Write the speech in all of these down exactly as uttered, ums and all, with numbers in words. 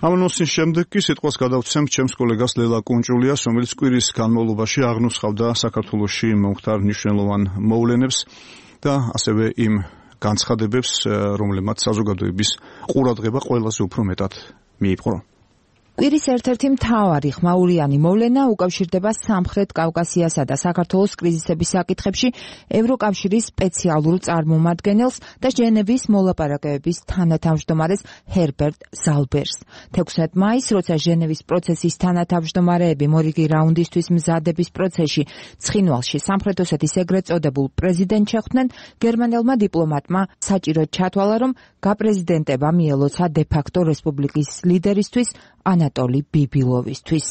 ამ ნოსის შემდეგ კი სიტყვას გადავცემ ჩემს კოლეგას ლელა კუნჭულიას, რომელიც კვირის განმავლობაში აღნუსხავდა საქართველოში მომხდარ მნიშვნელოვან მოვლენებს და ასევე იმ განცხადებებს, რომლებმაც საზოგადოების ყურადღება ყველაზე უფრო მეტად მიიპყრო. კვირის ერთ-ერთი მთავარი ხმაურიანი მოვლენა უკავშირდება სამხრეთ კავკასიასა და საქართველოს კრიზისების საკითხებში ევროკავშირის სპეციალურ წარმომადგენელს და ჟენევის მოლაპარაკებების თანათავმჯდომარეს ჰერბერტ ზალბერს. თექვსმეტ მაისს, როცა ჟენევის პროცესის თანათავმჯდომარეები მორიგი რაუნდისთვის მზადების პროცესში ცხინვალში სამხრეთ ოსეთის ეგრეთ წოდებულ პრეზიდენტს შეხვდნენ, გერმანელმა დიპლომატმა საჭიროდ ჩათვალა, რომ გაპრეზიდენტება მიელოცა დე-ფაქტო რესპუბლიკის ლიდერისთვის ანატოლი ბიბილოვისთვის.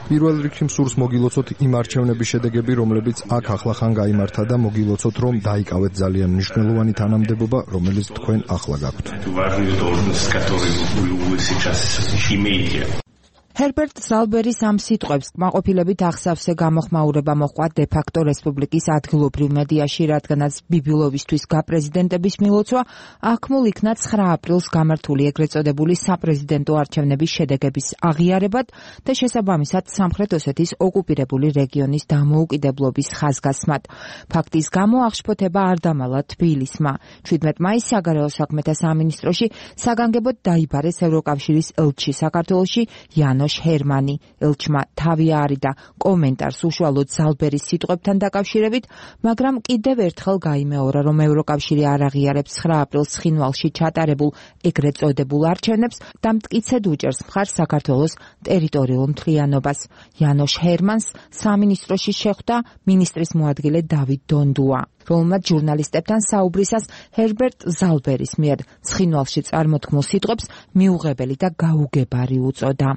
პირველ რიგში მსურს მოგილოცოთ იმ არჩევნების შედეგები, რომლებიც აქ ახლახან გაიმართა და მოგილოცოთ, რომ დაიკავეთ ძალიან მნიშვნელოვანი თანამდებობა, რომელიც თქვენ ახლა გაქვთ. ჰერბერტ ზალბერის ამ სიტყვებს კმაყოფილებით აღსავსე გამოხმაურება მოჰყვა დე-ფაქტო რესპუბლიკის ადგილობრივ მედიაში, რადგანაც ბიბილოვისთვის გაპრეზიდენტების მილოცვა აქმულ იქნა ცხრა აპრილს გამართული ეგრეთ წოდებული საპრეზიდენტო არჩევნების შედეგების აღიარებად და შესაბამისად სამხრეთ ოსეთის ოკუპირებული რეგიონის დამოუკიდებლობის ხაზგასმად. ფაქტის გამო აღშფოთება არ დამალა თბილისმა. შვიდმეტ მაისს საგარეო საქმეთა სამინისტროში საგანგებოდ დაიბარეს ევროკავშირის ელჩი საქართველოში იანოშ ჰერმანი. ელჩმა თავი აარიდა კომენტარს უშუალოდ ზალბერის სიტყვებთან დაკავშირებით, მაგრამ კიდევ ერთხელ გაიმეორა, რომ ევროკავშირი არ აღიარებს ცხრა აპრილს ცხინვალში ჩატარებულ ეგრეთ წოდებულ არჩევნებს და მტკიცედ უჭერს მხარს საქართველოს ტერიტორიულ მთლიანობას. იანოშ ჰერმანს სამინისტროში შეხვდა მინისტრის მოადგილე დავით დონდუა, რომელმაც ჟურნალისტებთან საუბრისას ჰერბერტ ზალბერის მიერ ცხინვალში წარმოთქმულ სიტყვებს მიუღებელი და გაუგებარი უწოდა.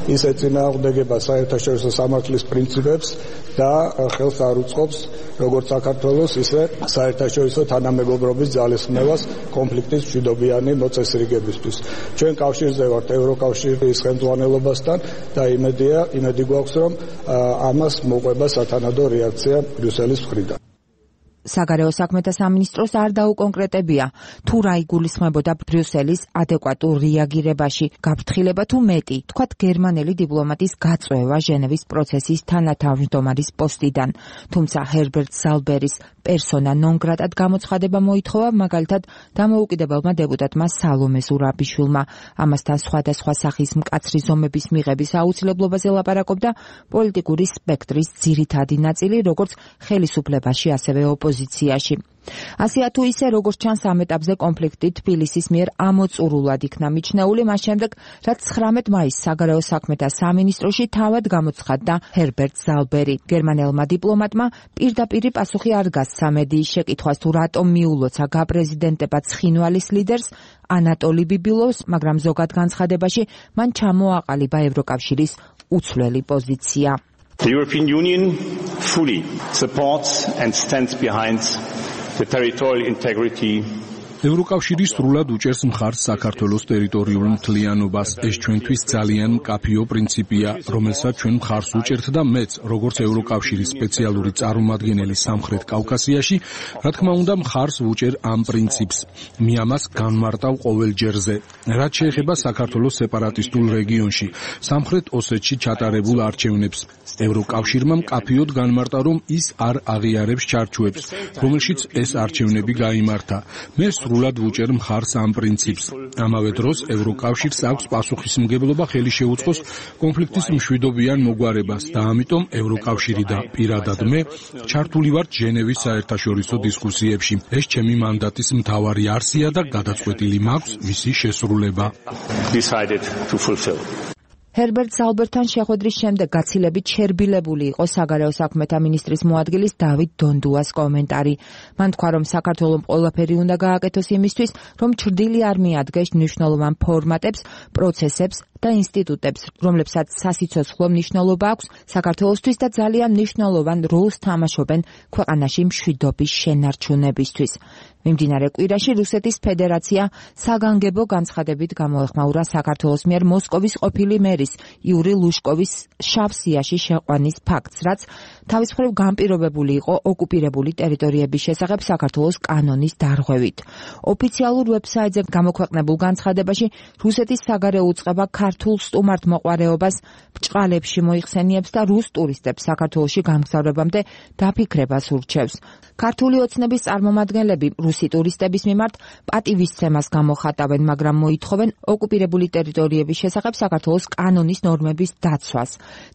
ის ეწინააღმდეგება საერთაშორისო სამართლის პრინციპებს და ხელს არ უწყობს როგორც საქართველოს, ისე საერთაშორისო თანამეგობრობის ძალისხმევას კონფლიქტის მშვიდობიანი მოწესრიგებისთვის. ჩვენ კავშირზე ვართ ევროკავშირის ხელმძღვანელობასთან და იმედია, იმედი გვაქვს, რომ ამას მოყვება სათანადო რეაქცია ბრიუსელის მხრიდან. საგარეო საქმეთა სამინისტროს არ დაუკონკრეტებია, თუ რა იგულისხმებოდა ბრიუსელის ადეკვატურ რეაგირებაში, გაფრთხილება თუ მეტი, თქვათ გერმანელი დიპლომატის გაწვევა ჟენევის პროცესის თანათავმჯდომარის პოსტიდან. თუმცა ჰერბერტ ზალბერის პერსონა ნონ გრატად გამოცხადება მოითხოვა, მაგალითად დამოუკიდებელმა დეპუტატმა სალომე ზურაბიშვილმა. ამასთან სხვადასხვა სახის მკაცრი ზომების მიღების აუცილებლობაზე ლაპარაკობდა პოლიტიკური სპექტრის ძირითადი ნაწილი, როგორც ხელისუფლებაში, ასევე ოპოზიციაში. ასეა თუ ისე, როგორც ჩანს ამ ეტაპზე კონფლიქტი თბილისის მიერ ამოწურულად იქნა მიჩნეული, მას შემდეგ, რაც ცხრამეტ მაისს საგარეო საქმეთა სამინისტროში თავად გამოცხადდა ჰერბერტ ზალბერი. გერმანელმა დიპლომატმა პირდაპირი პასუხი არ გასცა მედიის შეკითხვას, თუ რატომ მიულოცა გაპრეზიდენტება ცხინვალის ლიდერს ანატოლი ბიბილოვს, მაგრამ ზოგად განცხადებაში მან ჩამოაყალიბა ევროკავშირის უცვლელი პოზიცია. The European Union fully supports and stands behind the territorial integrity. ევროკავშირი სრულად უჭერს მხარს საქართველოს ტერიტორიულ მთლიანობას. ეს ჩვენთვის ძალიან მკაფიო პრინციპია, რომელსაც ჩვენ მხარს უჭერთ და მეც, როგორც ევროკავშირის სპეციალური წარმომადგენელი სამხრეთ კავკასიაში, რა თქმა უნდა, მხარს ვუჭერ ამ პრინციპს. მე ამას განმარტავ ყოველ ჯერზე. რაც შეეხება საქართველოს სეპარატისტულ რეგიონში, სამხრეთ ოსეთში ჩატარებულ არჩევნებს, ევროკავშირმა მკაფიოდ განმარტა, რომ ის არ აღიარებს ჩარჩოებს, რომელშიც ეს არჩევნები გაიმართა. მე სრულად ვუჭერ მხარს ამ პრინციპს. ამავე დროს ევროკავშირს აქვს პასუხისმგებლობა ხელი შეუწყოს კონფლიქტის მშვიდობიან მოგვარებას და ამიტომ ევროკავშირი და პირადად მე ჩართული ვართ ჟენევის საერთაშორისო დისკუსიებში. ეს ჩემი მანდატის მთავარი არსია და გადაწყვეტილი მაქვს მისი შესრულება. ჰერბერტ ზალბერთან შეხვედრის შემდეგ გაცილებით შერბილებული იყო საგარეო საქმეთა მინისტრის მოადგილის დავით დონდუას კომენტარი. მან თქვა, რომ საქართველომ ყველაფერი უნდა გააკეთოს იმისთვის, რომ ჩრდილი არ მიადგეს მნიშვნელოვან ფორმატებს, პროცესებს და ინსტიტუტებს, რომლებსაც სასიცოცხლო მნიშვნელობა აქვს საქართველოსთვის და ძალიან მნიშვნელოვან როლს თამაშობენ ქვეყანაში მშვიდობის შენარჩუნებისთვის. მიმდინარე კვირაში რუსეთის ფედერაცია საგანგებო განცხადებით გამოეხმაურა საქართველოს მიერ მოსკოვის ყოფილი მერის იური ლუშკოვის შავ სიაში შეყვანის ფაქტს, რაც თავის მხრივ განპირობებული იყო ოკუპირებული ტერიტორიების შესახებ საქართველოს კანონის დარღვევით. ოფიციალურ ვებსაიტზე გამოქვეყნებულ განცხადებაში რუსეთის საგარეო უწყება ქართულ სტუმართ მოყვარეობას ბჭყალებში მოიხსენიებს და რუს ტურისტებს საქართველოში გამგზავრებამდე დაფიქრებას ურჩევს. ქართული ოცნების წარმომადგენლები რუსი ტურისტების მიმართ პატივისცემას გამოხატავენ, მაგრამ მოითხოვენ ოკუპირებული ტერიტორიების შესახებ საქართველოს კანონის ნორმების დაცვას.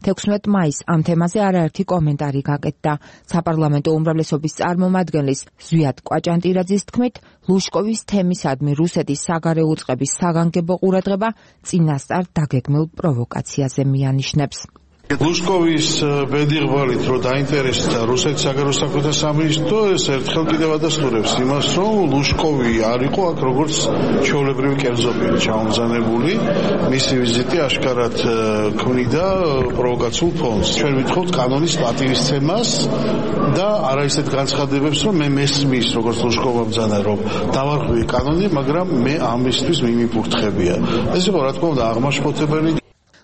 თექვსმეტ მაისს ამ თემაზე არაერთი კომენტარი გაკეთდა. საპარლამენტო უმრავლესობის წარმომადგენლის ზვიად კვაჭანტირაძის თქმით, ლუშკოვის თემისადმი რუსეთის საგარეო უწყების საგანგებო ყურადღება წინასწარ დაგეგმილ პროვოკაციაზე მიანიშნებს. ლუშკოვის ბედიღვალით რომ დაინტერესდა რუსეთის საგარეო საქმეთა სამინისტრო, ეს ერთხელ კიდევ ადასტურებს იმას, რომ ლუშკოვი არ იყო აქ როგორც ჩვეულებრივი კერძობილი ჩამომზანებული, მისი ვიზიტი აშკარად ქმნიდა პროვოკაციულ ფონს. ჩვენ ვითხოვთ კანონის პატივისცემას და არა ისეთ განცხადებებს, რომ მე მესმის როგორც ლუშკოვმა ბრძანა, რომ დავარღვევი კანონი, მაგრამ მე ამისთვის მიმიფურთხებია. ეს იყო რა თქმა უნდა აღმაშფოთებელი.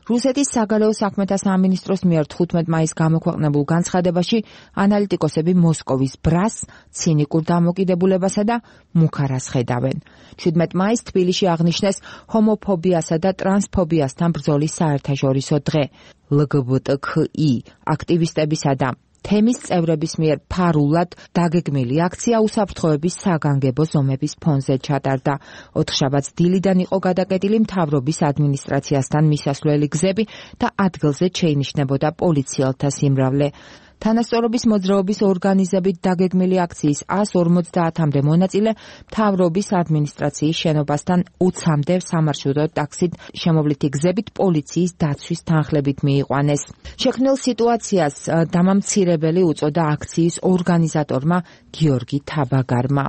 რუსეთის საგარეო საქმეთა სამინისტროს მიერ თხუთმეტ მაისს გამოქვეყნებულ განცხადებაში ანალიტიკოსები მოსკოვის ბრას, ცინიკურ დამოკიდებულებასა და მუქარას ხედავენ. შვიდმეტ მაისს თბილისში აღნიშნეს ჰომოფობიასა და ტრანსფობიასთან ბრძოლის საერთაშორისო დღე. ელ გი ბი ტი ქ ი აქტივისტებისა და თემის წევრების მიერ ფარულად დაგეგმილი აქცია უსაფრთხოების საგანგებო ზომების ფონზე ჩატარდა. ოთხშაბათს დილიდან იყო გადაკეტილი მთავრობის ადმინისტრაციასთან მისასვლელი გზები და ადგილზე შეინიშნებოდა პოლიციელთა სიმრავლე. თანასწორობის მოძრაობის ორგანიზებით დაგეგმილი აქციის ას ორმოცდაათამდე მონაწილე მთავრობის ადმინისტრაციის შენობასთან ოცამდე სამარშრუტო ტაქსით შემოვლითი გზებით პოლიციის დაცვის თანხლებით მიიყვანეს. შექმნილ სიტუაციას დამამცირებელი უწოდა აქციის ორგანიზატორმა გიორგი თაბაგარმა.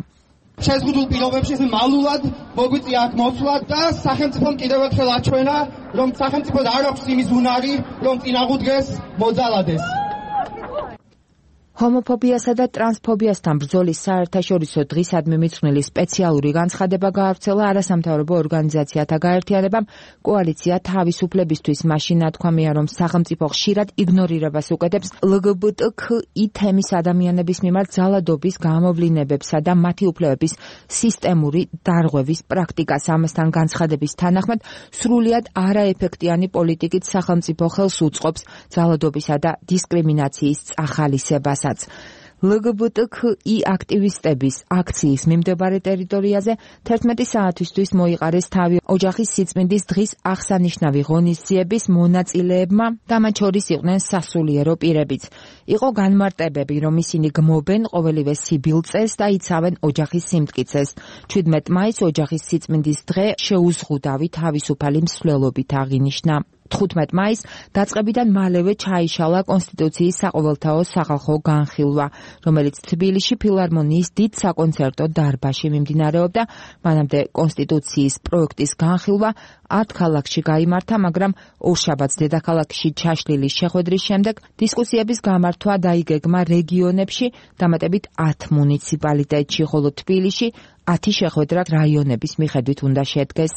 შეზღუდულ პირობებში მალულად მოგვიწია აქ მოსვლა და სახელმწიფომ კიდევ ერთხელ აჩვენა, რომ სახელმწიფოს არ აქვს იმის უნარი, რომ წინააღმდეგეს მოძალადეს. ჰომოფობიასა და ტრანსფობიასთან ბრძოლის საერთაშორისო დღისადმი მიძღვნილი სპეციალური განცხადება გაავრცელა არასამთავრობო ორგანიზაციათა გაერთიანებამ. კოალიცია თავისუფლებისთვის მაშინ ნათქვამია, რომ სახელმწიფო ხშირად იგნორირებას უკეთებს ელ გი ბი ტი ქ ი თემის ადამიანების მიმართ ძალადობის გამოვლინებებსა და მათი უფლებების სისტემური დარღვევის პრაქტიკას. ამასთან განცხადების თანახმად სრულიად არაეფექტიანი პოლიტიკით სახელმწიფო ხელს უწყობს ძალადობისა და დისკრიმინაციის წახალისებას. ელ გი ბი ტი ქ ი აქტივისტების აქციის მიმდებარე ტერიტორიაზე თერთმეტი საათისთვის მოიყარეს თავი ოჯახის სიწმინდის დღის აღსანიშნავი ღონისძიების მონაწილეებმა და მათ შორის იყვნენ სასულიერო პირებიც. იყო განმარტებები, რომ ისინი გმობენ ყოველივე სიბილწეს და იცავენ ოჯახის სიმტკიცეს. შვიდმეტ მაისს ოჯახის სიწმინდის დღე შეუზღუდავი თავისუფალი მსვლელობით აღინიშნა. თხუთმეტ მაისს დაწყებიდან მალევე ჩაიშალა კონსტიტუციის საყოველთაო სახალხო განხილვა, რომელიც თბილისში ფილარმონიის დიდ საკონცერტო დარბაზში მიმდინარეობდა. მანამდე კონსტიტუციის პროექტის განხილვა ათ ქალაქში გაიმართა, მაგრამ ორშაბათს დედაქალაქში ჩაშლილი შეხვედრის შემდეგ დისკუსიების გამართვა დაიგეგმა რეგიონებში, დამატებით ათ მუნიციპალიტეტში, ხოლო თბილისში ათი შეხვედრა რაიონების მიხედვით უნდა შედგეს.